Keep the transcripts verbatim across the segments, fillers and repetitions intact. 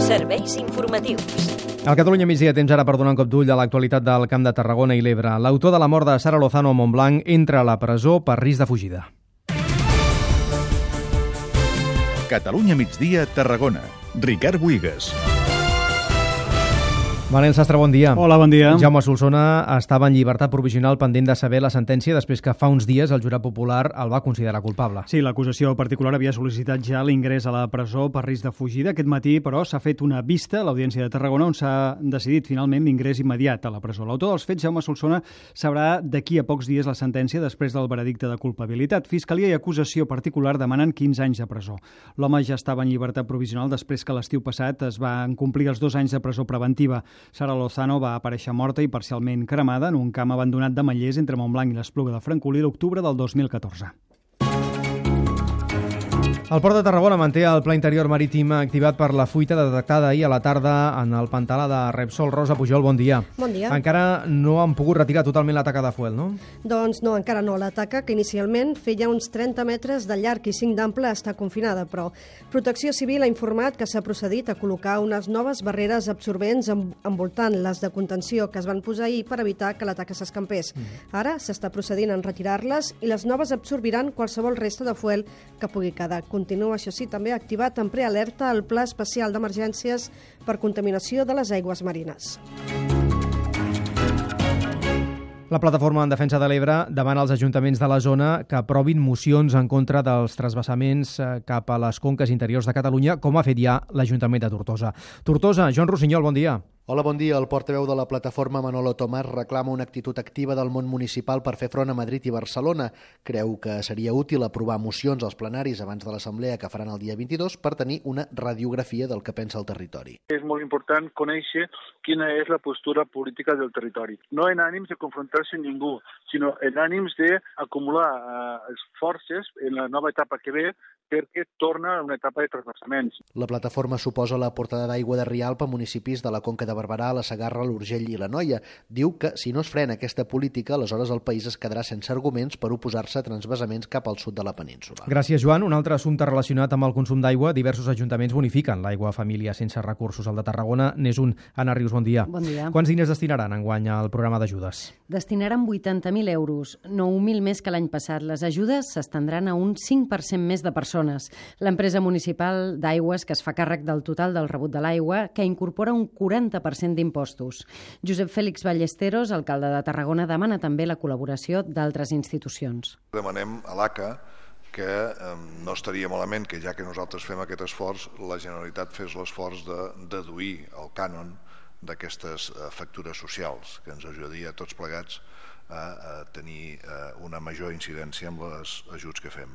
Serveis informatius. Al Catalunya migdia temps ara per donar un cop d'ull a l'actualitat del Camp de Tarragona i l'Ebre. L'autor de la mort de Sara Lozano a Montblanc entra a la presó per risc de fugida. Catalunya migdia, Tarragona. Ricard Buigas. Manel Sastre, bon dia. Hola, bon dia. Jaume Solsona estava en llibertat provisional pendent de saber la sentència després que fa uns dies el jurat popular el va considerar culpable. Sí, l'acusació particular havia sol·licitat ja l'ingrés a la presó per risc de fugida. Aquest matí, però, s'ha fet una vista a l'Audiència de Tarragona on s'ha decidit finalment l'ingrés immediat a la presó. L'autor dels fets, Jaume Solsona, sabrà d'aquí a pocs dies la sentència després del veredicte de culpabilitat. Fiscalia i acusació particular demanen quinze anys de presó. L'home ja estava en llibertat provisional després que l'estiu passat es van complir els dos anys de presó preventiva. Sara Lozano va aparèixer morta i parcialment cremada en un camp abandonat de Mallers entre Montblanc i l'Espluga de Francolí l'octubre del dos mil catorze. El Port de Tarragona manté el pla interior marítim activat per la fuita detectada ahir a la tarda en el pantà de Repsol. Rosa Pujol, bon dia. Bon dia. Encara no han pogut retirar totalment la taca de fuel, no? Doncs no, encara no. La taca, que inicialment feia uns trenta metres de llarg i cinc d'ample, està confinada, però Protecció Civil ha informat que s'ha procedit a col·locar unes noves barreres absorbents envoltant les de contenció que es van posar ahir per evitar que la taca s'escampés. Mm. Ara s'està procedint a retirar-les i les noves absorbiran qualsevol resta de fuel que pugui quedar. Continua, això sí, també activat en prealerta el Pla Especial d'Emergències per contaminació de les aigües marines. La Plataforma en Defensa de l'Ebre demana als ajuntaments de la zona que aprovin mocions en contra dels transvasaments cap a les conques interiors de Catalunya, com ha fet ja l'Ajuntament de Tortosa. Tortosa, Joan Rossinyol, bon dia. Hola, bon dia. El portaveu de la plataforma, Manolo Tomàs, reclama una actitud activa del món municipal per fer front a Madrid i Barcelona. Creu que seria útil aprovar mocions als plenaris abans de l'assemblea que faran el dia vint-i-dos per tenir una radiografia del que pensa el territori. És molt important conèixer quina és la postura política del territori. No en ànims de confrontar-se amb ningú, sinó en ànims d'acumular eh, forces en la nova etapa que ve perquè torna a una etapa de transvasaments. La plataforma suposa la portada d'aigua de Rialp a municipis de la Conca de Barberà, la Segarra, l'Urgell i la Noia. Diu que si no es frena aquesta política, aleshores el país es quedarà sense arguments per oposar-se a transvasaments cap al sud de la península. Gràcies, Joan. Un altre assumpte relacionat amb el consum d'aigua. Diversos ajuntaments bonifiquen l'aigua a famílies sense recursos. El de Tarragona n'és un. Anna Rius, bon dia. Bon dia. Quants diners destinaran enguany al programa d'ajudes? Destinaran vuitanta mil euros, nou mil més que l'any passat. Les ajudes s'estendran a un cinc per cent més de persones. L'empresa municipal d'aigües, que es fa càrrec del total del rebut de l'aigua, que incorpora un quaranta per cent d'impostos. Josep Fèlix Ballesteros, alcalde de Tarragona, demana també la col·laboració d'altres institucions. Demanem a l'A C A que eh, no estaria malament que, ja que nosaltres fem aquest esforç, la Generalitat fes l'esforç de deduir el cànon d'aquestes eh, factures socials, que ens ajudaria a tots plegats a, a tenir eh, una major incidència amb els ajuts que fem.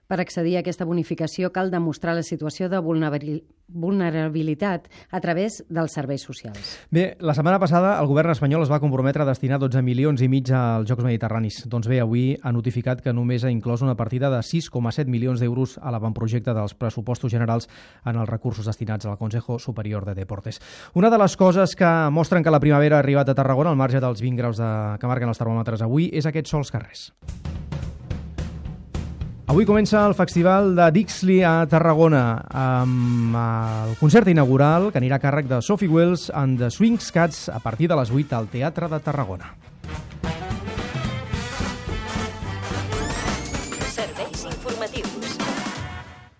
Per accedir a aquesta bonificació cal demostrar la situació de vulnerabilitat a través dels serveis socials. Bé, la setmana passada el govern espanyol es va comprometre a destinar dotze milions i mig als Jocs Mediterranis. Doncs bé, avui ha notificat que només ha inclòs una partida de sis coma set milions d'euros a l'avantprojecte dels pressupostos generals en els recursos destinats al Consejo Superior de Deportes. Una de les coses que mostren que la primavera ha arribat a Tarragona, al marge dels vint graus de... que marquen els termòmetres avui, és aquests sols carrers. Avui comença el Festival de Dixley a Tarragona amb el concert inaugural que anirà a càrrec de Sophie Wells and the Swing Cats a partir de les vuit al Teatre de Tarragona.